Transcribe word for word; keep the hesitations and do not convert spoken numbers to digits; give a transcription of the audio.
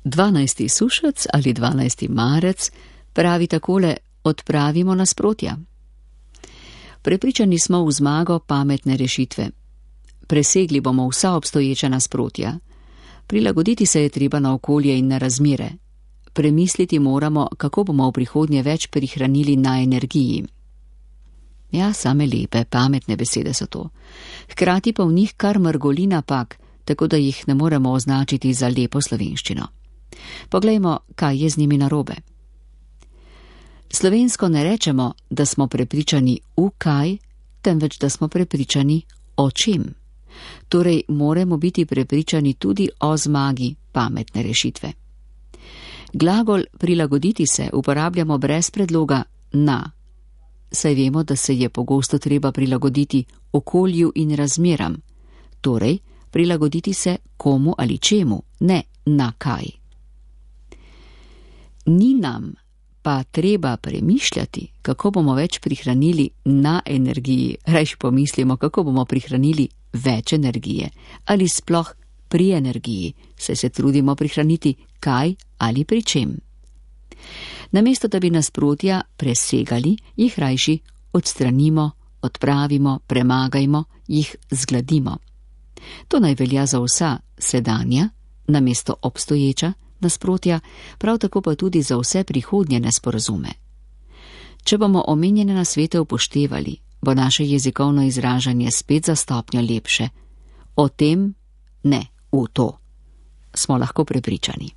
Dvanajsti sušec ali dvanajsti marec pravi takole: odpravimo nasprotja. Prepričani smo v zmago pametne rešitve. Presegli bomo vsa obstoječa nasprotja. Prilagoditi se je treba na okolje in na razmere. Premisliti moramo, kako bomo v prihodnje več prihranili na energiji. Ja, same lepe, pametne besede so to. Hkrati pa v njih kar mrgoli napak, tako da jih ne moremo označiti za lepo slovenščino. Poglejmo, kaj je z njimi narobe. Slovensko ne rečemo, da smo prepričani v kaj, temveč da smo prepričani o čem. Torej, moramo biti prepričani tudi o zmagi pametne rešitve. Glagol prilagoditi se uporabljamo brez predloga na, saj vemo, da se je pogosto treba prilagoditi okolju in razmeram, torej prilagoditi se komu ali čemu, ne na kaj. Ni nam pa treba premišljati, kako bomo več prihranili na energiji, rajš pomislimo, kako bomo prihranili več energije ali sploh pri energiji, saj se trudimo prihraniti kaj ali pri čem. Namesto da bi nasprotja presegali, jih rajši odstranimo, odpravimo, premagajmo, jih zgladimo. To naj velja za vsa sedanja, namesto obstoječa nasprotja, prav tako pa tudi za vse prihodnje nesporazume. Če bomo omenjene nasvete upoštevali, bo naše jezikovno izražanje spet za stopnjo lepše. O tem, ne v to, smo lahko prepričani.